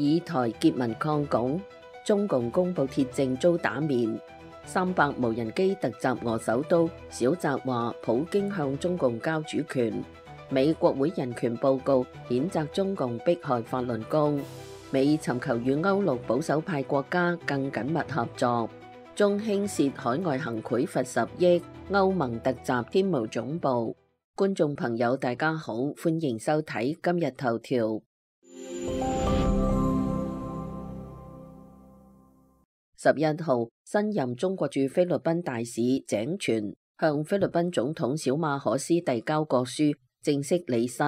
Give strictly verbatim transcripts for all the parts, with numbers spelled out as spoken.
以台結盟抗共，中共公布鐵證遭打面，三百無人機突襲俄首都，小澤話普京向中共交主權。美國會人權報告譴責中共迫害法輪功，美尋求與歐陸保守派國家更緊密合作。中興涉海外行賄罰十億，歐盟突襲天無總部。觀眾朋友大家好，歡迎收睇今日頭條。十一號，新任中國駐菲律賓大使井泉向菲律賓總統小馬可斯遞交國書，正式履新，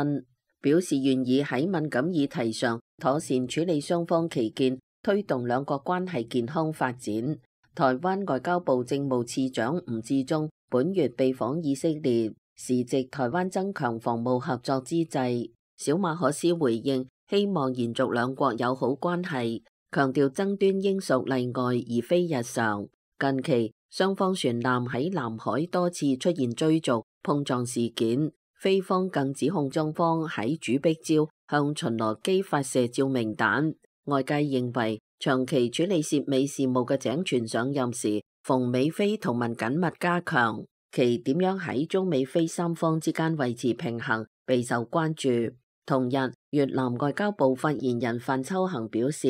表示願意喺敏感議題上妥善處理雙方歧見，推動兩國關係健康發展。台灣外交部政務次長吳志忠本月被訪以色列，時值台灣增強防務合作之際，小馬可斯回應希望延續兩國友好關係，強調爭端應屬例外而非日常。近期雙方船艦喺南海多次出現追逐碰撞事件，菲方更指控中方喺主碧礁向巡邏機發射照明彈。外界認為長期處理涉美事務嘅井泉上任時，逢美菲同盟緊密加強，其點樣喺中美菲三方之間維持平衡備受關注。同日，越南外交部發言人范秋恒表示，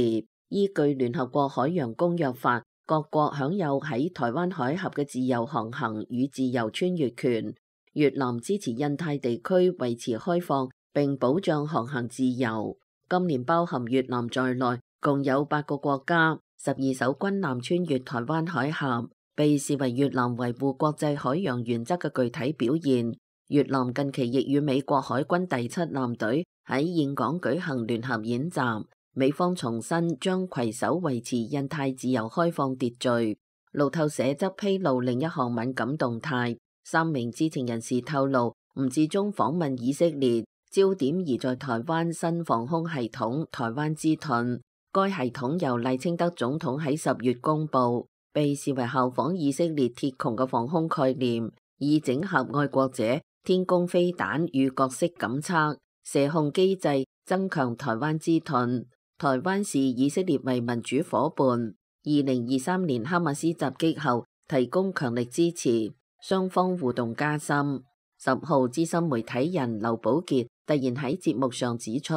依據聯合國海洋公約法，各國享有喺台灣海峽嘅自由航行與自由穿越權。越南支持印太地區維持開放並保障航行自由。今年包含越南在內，共有八個國家、十二艘軍艦穿越台灣海峽，被視為越南維護國際海洋原則嘅具體表現。越南近期亦與美國海軍第七艦隊喺峴港舉行聯合演習。美方重申將攜手維持印太自由開放秩序。路透社則披露另一項敏感動態，三名知情人士透露，吳志忠訪問以色列，焦點移在台灣新防空系統台灣之盾。該系統由賴清德總統喺十月公布，被視為效仿以色列鐵穹嘅防空概念，以整合愛國者、天宮飛彈與各式感測、射控機制，增強台灣之盾。台灣視以色列為民主夥伴。二零二三年哈馬斯襲擊後，提供強力支持，雙方互動加深。十號，資深媒體人劉寶傑突然喺節目上指出，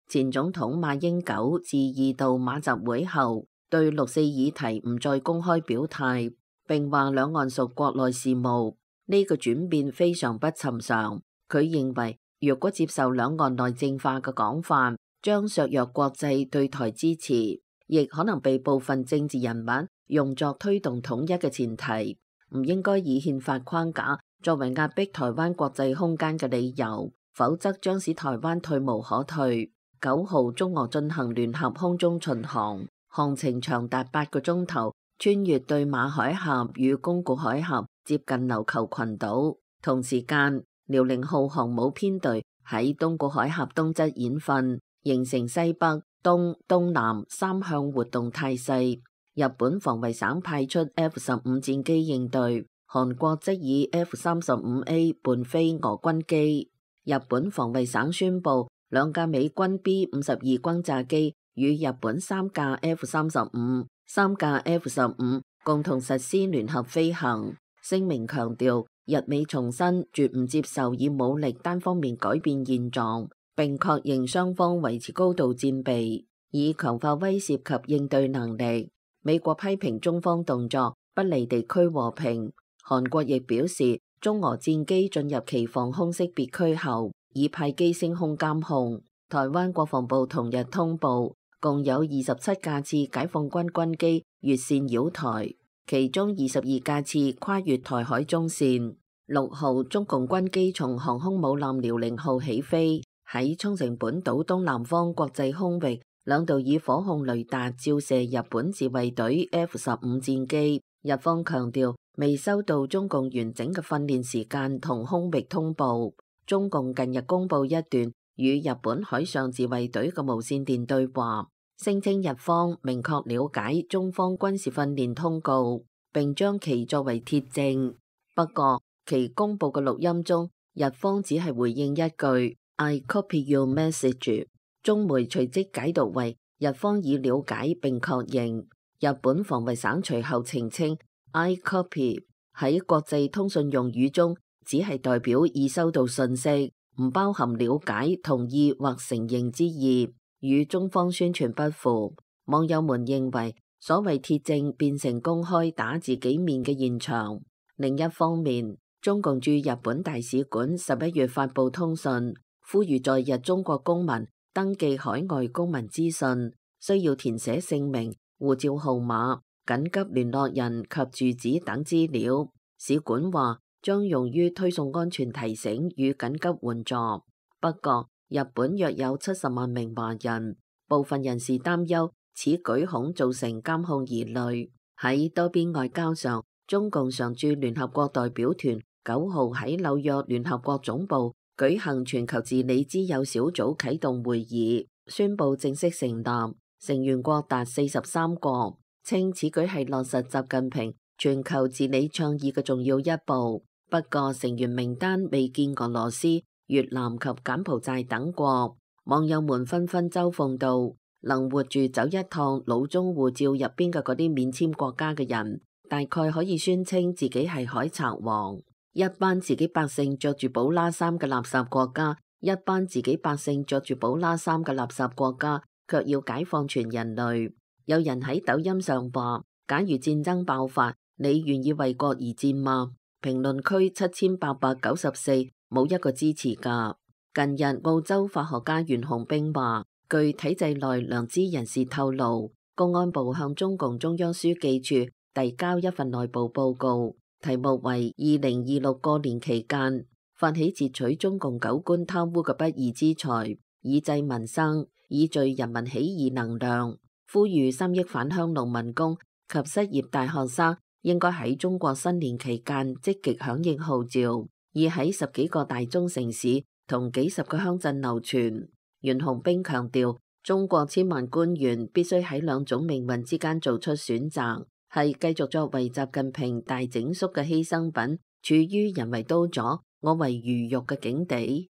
前總統馬英九自二度馬習會後，對六四議題唔再公開表態，並話兩岸屬國內事務。呢個轉變非常不尋常。佢認為，若果接受兩岸內政化嘅講法，將削弱國際對台支持，亦可能被部分政治人物用作推動統一嘅前提，唔應該以憲法框架作為壓迫台灣國際空間嘅理由，否則將使台灣退無可退。九號，中俄進行聯合空中巡航，航程長達八個鐘頭，穿越對馬海峽與宮古海峽，接近琉球群島。同時間，遼寧號航母編隊喺東古海峽東側演訓，形成西北、東、東南三向活動態勢。日本防衛省派出 F 十五戰機應對，韓國則以 F 三十五 A 伴飛俄軍機。日本防衛省宣布，兩架美軍 B 五十二轟炸機與日本三架 F 三十五、三架 F 十五共同實施聯合飛行。聲明強調，日美重申絕唔接受以武力單方面改變現狀，並確認雙方維持高度戰備，以強化威懾及應對能力。美國批評中方動作不利地區和平。韓國亦表示，中俄戰機進入其防空識別區後，已派機升空監控。台灣國防部同日通報，共有二十七架次解放軍軍機越線擾台，其中二十二架次跨越台海中線。六號，中共軍機從航空母艦遼寧號起飛，喺沖繩本島東南方國際空域兩度以火控雷達照射日本自衛隊 F 十五戰機。日方強調未收到中共完整嘅訓練時間同空域通報。中共近日公布一段與日本海上自衛隊嘅無線電對話，聲稱日方明確了解中方軍事訓練通告，並將其作為鐵證。不過，其公布嘅錄音中，日方只係回應一句 I copy your message。中媒隨即解讀為日方已了解並確認。日本防衛省隨後澄清 ，I copy 喺國際通訊用語中只係代表已收到信息，唔包含了解、同意或承認之意，與中方宣傳不符。網友們認為，所謂鐵證變成公開打自己面嘅現場。另一方面，中共駐日本大使館十一月發布通訊，呼籲在日中國公民登記海外公民資訊，需要填寫姓名、護照號碼、緊急聯絡人及住址等資料。使館話將用於推送安全提醒與緊急援助。不過，日本約有七十萬名華人，部分人士擔憂此舉恐造成監控疑慮。喺多邊外交上，中共常駐聯合國代表團九號喺紐約聯合國總部舉行全球治理之友小組啟動會議，宣布正式成立，成員國達四十三個，稱此舉係落實習近平全球治理倡議嘅重要一步。不過成員名單未見俄羅斯、越南及柬埔寨等國，網友們紛紛嘲諷道：能活住走一趟老中護照入邊嘅嗰啲免簽國家嘅人，大概可以宣稱自己係海賊王。一班自己百姓着住寶拉衫嘅垃圾國家，一班自己百姓着住寶拉衫嘅垃圾國家，卻要解放全人類。有人喺抖音上話：假如戰爭爆發，你願意為國而戰嗎？評論區七千八百九十四，冇一個支持噶。近日澳洲法學家袁洪兵話，據體制內良知人士透露，公安部向中共中央書記處遞交一份內部報告，題目為二零二六過年期間發起截取中共九官貪污嘅不義之財，以濟民生，以聚人民起義能量，呼籲三億返鄉農民工及失業大學生應該喺中國新年期間積極響應號召，已喺十幾個大中城市同幾十個鄉鎮流傳。袁洪兵強調，中國千萬官員必須喺兩種命運之間做出選擇，係繼續作為習近平大整肅嘅犧牲品，處於人為刀俎我為魚肉嘅境地。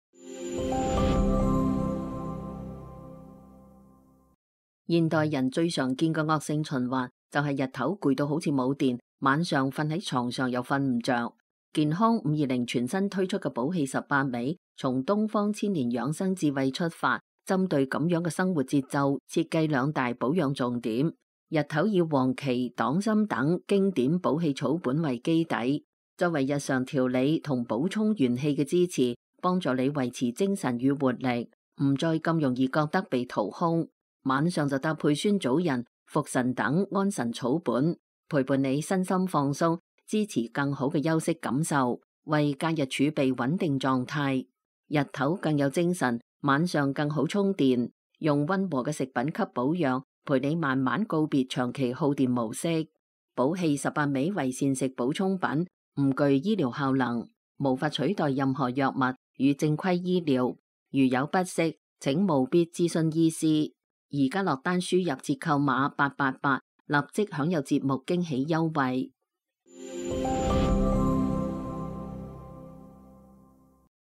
現代人最常見嘅惡性循環就係日頭攰到好似冇電，晚上瞓喺床上又瞓唔着。健康五二零全新推出嘅補氣十八味，從東方千年養生智慧出發，針對咁樣嘅生活節奏，設計兩大保養重點。日頭以黃芪、黨參等經典補氣草本為基底，作為日常調理同補充元氣嘅支持，幫助你維持精神與活力，唔再咁容易覺得被掏空。晚上就搭配酸棗仁、茯神等安神草本，陪伴你身心放鬆，支持更好嘅休息感受，為假日儲備穩定狀態。日頭更有精神，晚上更好充電。用溫和嘅食品給保養，陪你慢慢告別長期耗電模式。補氣十八味為膳食補充品，唔具醫療效能，無法取代任何藥物與正規醫療。如有不適，請務必諮詢醫師。而家落單輸入折扣碼八八八，立即享有節目驚喜優惠。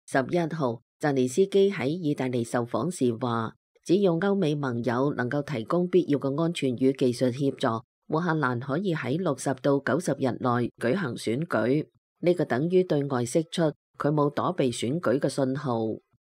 十一號，澤連斯基喺意大利受訪時話，只要歐美盟友能夠提供必要嘅安全與技術協助，烏克蘭可以喺六十到九十日內舉行選舉。呢、這個等於對外釋出佢冇躲避選舉嘅信號。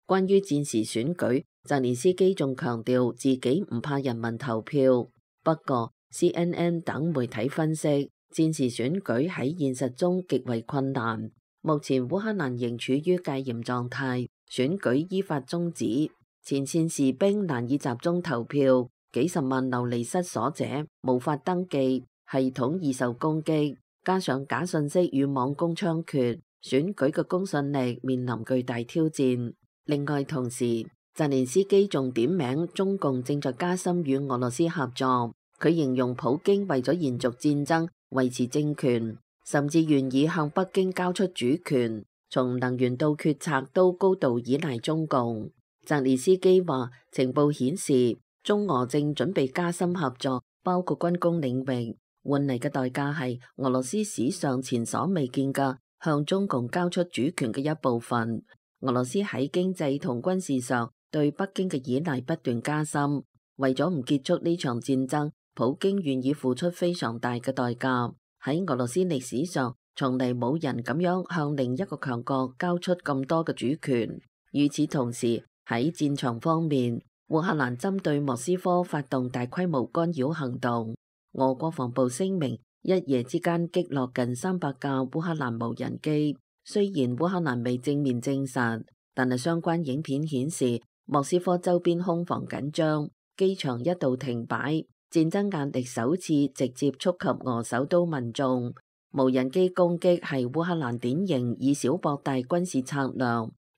關於戰時選舉，澤連斯基仲強調自己唔怕人民投票。不過 C N N 等媒體分析，戰時選舉喺現實中極為困難。目前烏克蘭仍處於戒嚴狀態，選舉依法終止，前線士兵難以集中投票，幾十萬流離失所者無法登記，系統易受攻擊，加上假信息與網攻猖獗，選舉嘅公信力面臨巨大挑戰。另外，同時澤連斯基仲點名中共正在加深與俄羅斯合作。佢形容普京為咗延續戰爭、維持政權，甚至願意向北京交出主權，從能源到決策都高度依賴中共。澤連斯基話，情報顯示中俄正準備加深合作，包括軍工領域，換嚟嘅代價係俄羅斯史上前所未見嘅向中共交出主權嘅一部分。俄羅斯喺經濟同軍事上對北京嘅依賴不斷加深，為咗唔結束呢場戰爭，普京願意付出非常大嘅代價。喺俄羅斯歷史上，從嚟冇人咁樣向另一個強國交出咁多嘅主權。與此同時，喺戰場方面，烏克蘭針對莫斯科發動大規模干擾行動。俄國防部聲明，一夜之間擊落近三百架烏克蘭無人機。雖然烏克蘭未正面證實，但係相關影片顯示莫斯科周邊空防緊張，機場一度停擺，戰爭壓力首次直接觸及俄首都民眾。無人機攻擊係烏克蘭典型以小博大軍事策略，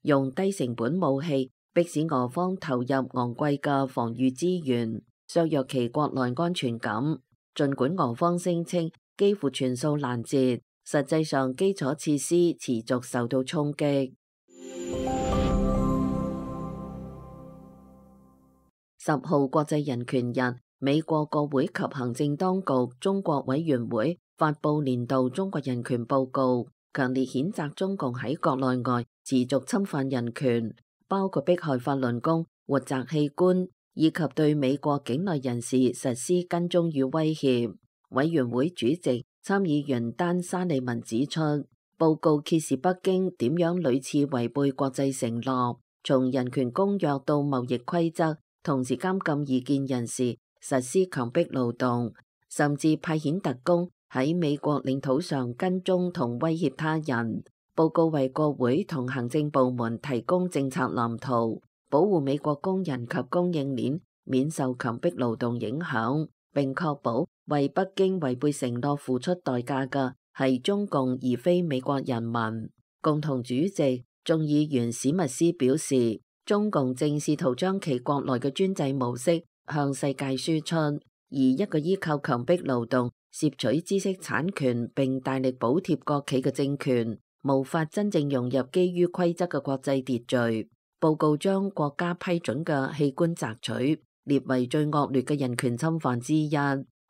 用低成本武器迫使俄方投入昂貴嘅防禦資源，削弱其國內安全感。儘管俄方聲稱幾乎全數攔截，實際上基礎設施持續受到衝擊。十號國際人權日，美國國會及行政當局中國委員會發布年度中國人權報告，強烈譴責中共喺國內外持續侵犯人權，包括迫害法輪功、活摘器官，以及對美國境內人士實施跟蹤與威脅。委員會主席參議員丹沙利文指出，報告揭示北京點樣屢次違背國際承諾，從人權公約到貿易規則，同時監禁異見人士，實施強迫勞動，甚至派遣特工喺美國領土上跟蹤同威脅他人。報告為國會同行政部門提供政策藍圖，保護美國工人及供應鏈免受強迫勞動影響，並確保為北京違背承諾付出代價嘅係中共而非美國人民。共同主席眾議員史密斯表示，中共正試圖將其國內嘅專制模式向世界輸出，而一個依靠強迫勞動攝取知識產權並大力補貼國企嘅政權，無法真正融入基於規則嘅國際秩序。報告將國家批准嘅器官摘取列為最惡劣嘅人權侵犯之一。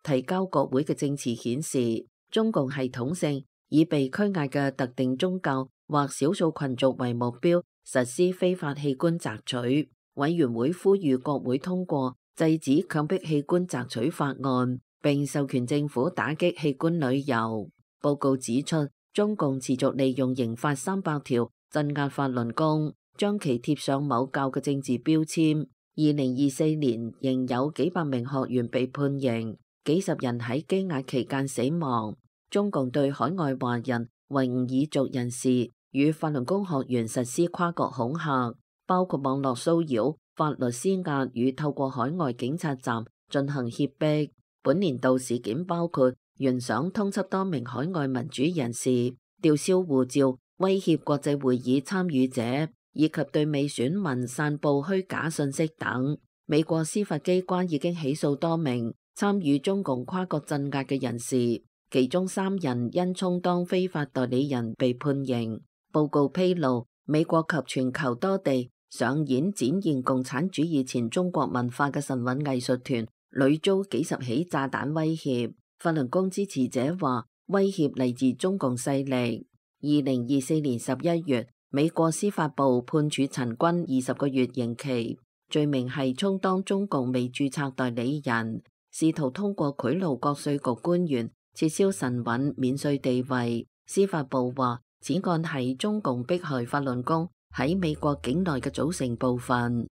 提交國會嘅證詞顯示，中共系統性以被拘押嘅特定宗教或少數群族為目標，實施非法器官摘取。委員會呼籲國會通過制止強迫器官摘取法案，並授權政府打擊器官旅遊。報告指出，中共持續利用刑法三百條鎮壓法輪功，將其貼上某教嘅政治標籤。二零二四年仍有幾百名學員被判刑，幾十人喺羈押期間死亡。中共對海外華人、維吾爾族人士與法輪功學員實施跨國恐嚇，包括網絡騷擾、法律施壓與透過海外警察站進行脅迫。本年度事件包括懸賞通緝多名海外民主人士、吊銷護照、威脅國際會議參與者，以及對美選民散佈虛假信息等。美國司法機關已經起訴多名參與中共跨國鎮壓嘅人士，其中三人因充當非法代理人被判刑。報告披露，美國及全球多地上演展現共產主義前中國文化嘅神韻藝術團屢遭幾十起炸彈威脅。法輪功支持者話，威脅嚟自中共勢力。二零二四年十一月，美國司法部判處陳軍二十個月刑期，罪名係充當中共未註冊代理人，試圖通過賄賂國稅局官員撤銷神韻免稅地位。司法部話，此案係中共迫害法輪功喺美國境內嘅組成部分。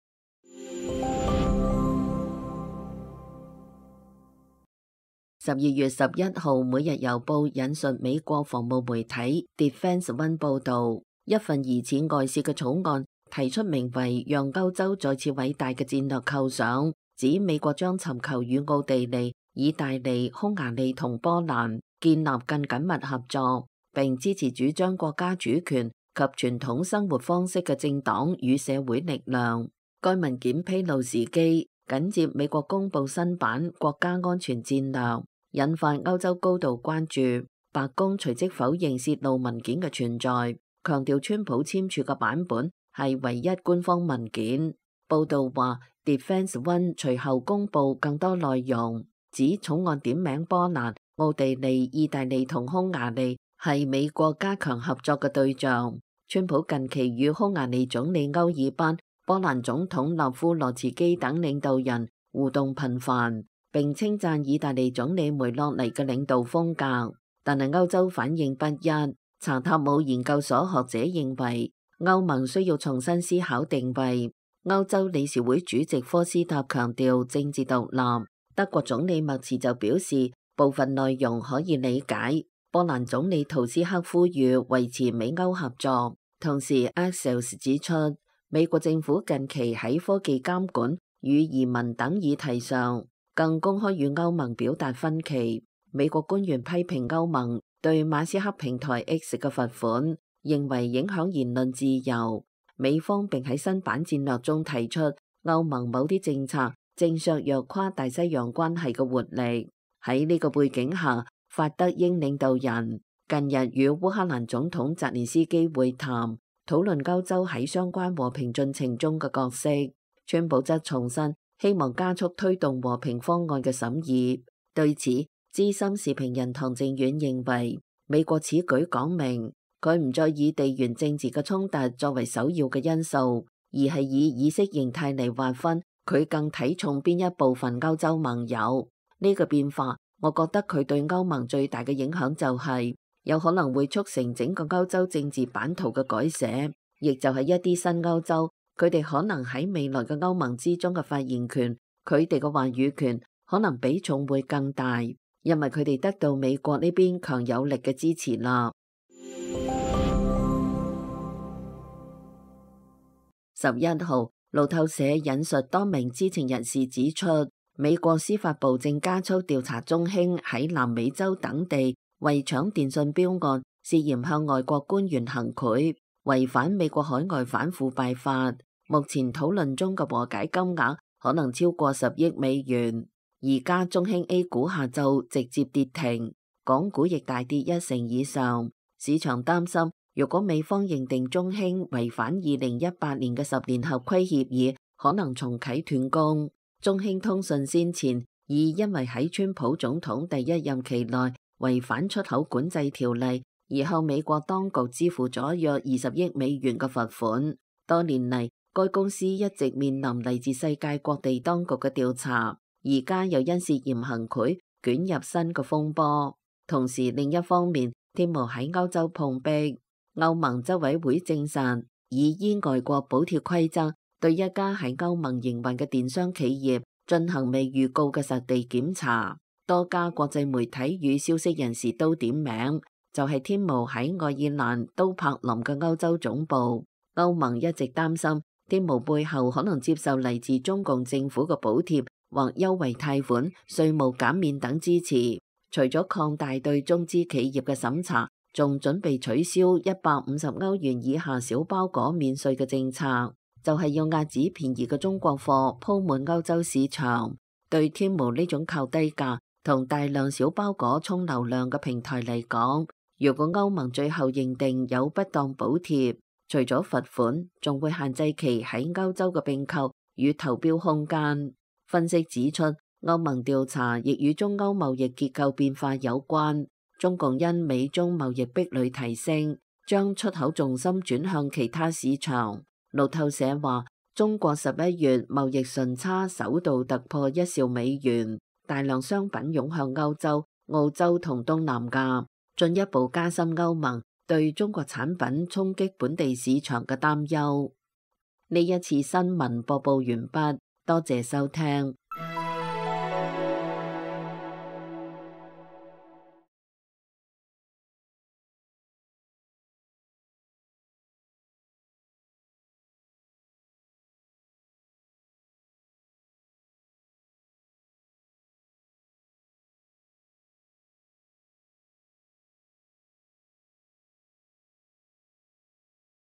十二月十一號，每日郵報引述美國防務媒體 Defense One 報道，一份疑似外洩嘅草案提出名為讓歐洲再次偉大嘅戰略構想，指美國將尋求與奧地利、意大利、匈牙利同波蘭建立更緊密合作，並支持主張國家主權及傳統生活方式嘅政黨與社會力量。該文件披露時機緊接美國公布新版國家安全戰略，引發歐洲高度關注。白宮隨即否認洩露文件嘅存在，強調川普簽署嘅版本係唯一官方文件。報道話 Defense One 隨後公布更多內容，指草案點名波蘭、奧地利、意大利同匈牙利係美國加強合作嘅對象。川普近期與匈牙利總理歐爾班、波蘭總統納夫羅茨基等領導人互動頻繁，並稱讚意大利總理梅洛尼嘅領導風格。但係歐洲反應不一。查塔姆研究所學者認為，歐盟需要重新思考定位。歐洲理事會主席科斯塔強調政治獨立。德國總理默茨就表示，部分內容可以理解。波蘭總理圖斯克呼籲維持美歐合作。同時 Axios 指出，美國政府近期喺科技監管與移民等議題上，更公開與歐盟表達分歧。美國官員批評歐盟對馬斯克平台 X 嘅罰款，認為影響言論自由。美方並喺新版戰略中提出，歐盟某啲政策正削弱跨大西洋關係嘅活力。喺呢個背景下，法德英領導人近日與烏克蘭總統澤連斯基會談，討論歐洲喺相關和平進程中嘅角色。川普則重申希望加速推動和平方案嘅審議。對此，資深時評人唐靖遠認為，美國此舉講明佢唔再以地緣政治嘅衝突作為首要嘅因素，而係以意識形態嚟劃分佢更睇重邊一部分歐洲盟友。呢個變化，我覺得佢對歐盟最大嘅影響就係有可能會促成整個歐洲政治版圖嘅改寫，亦就係一啲新歐洲，佢哋可能喺未來嘅歐盟之中嘅發言權，佢哋嘅話語權可能比重會更大。因為佢哋得到美國呢邊強有力嘅支持啦。十一號，路透社引述多名知情人士指出，美國司法部正加速調查中興喺南美洲等地為搶電信標案，涉嫌向外國官員行賄，違反美國海外反腐敗法。目前討論中嘅和解金額可能超過十億美元。而家中興 A 股下晝直接跌停，港股亦大跌一成以上。市場擔心，如果美方認定中興違反二零一八年嘅十年合規協議，可能重啟斷供。中興通訊先前已因為喺川普總統第一任期內違反出口管制條例，而向美國當局支付咗約二十億美元嘅罰款。多年嚟，該公司一直面臨嚟自世界各地當局嘅調查。而家又因涉嫌行賄捲入新嘅風波，同時另一方面，天毛喺歐洲碰壁，歐盟執委會證實已依外國補貼規則對一家喺歐盟營運嘅電商企業進行未預告嘅實地檢查。多家國際媒體與消息人士都點名，就係天毛喺愛爾蘭都柏林嘅歐洲總部。歐盟一直擔心天毛背後可能接受嚟自中共政府嘅補貼或優惠貸款、稅務減免等支持，除咗擴大對中資企業嘅審查，仲準備取消一百五十歐元以下小包裹免稅嘅政策，就係要壓止便宜嘅中國貨鋪滿歐洲市場。對天毛呢種靠低價同大量小包裹沖流量嘅平台嚟講，如果歐盟最後認定有不當補貼，除咗罰款，仲會限制其喺歐洲嘅併購與投標空間。分析指出，歐盟調查亦與中歐貿易結構變化有關。中共因美中貿易壁壘提升，將出口重心轉向其他市場。路透社話，中國十一月貿易順差首度突破一兆美元，大量商品湧向歐洲、澳洲同東南亞，進一步加深歐盟對中國產品衝擊本地市場嘅擔憂。呢一次新聞播報完畢。多謝收聽。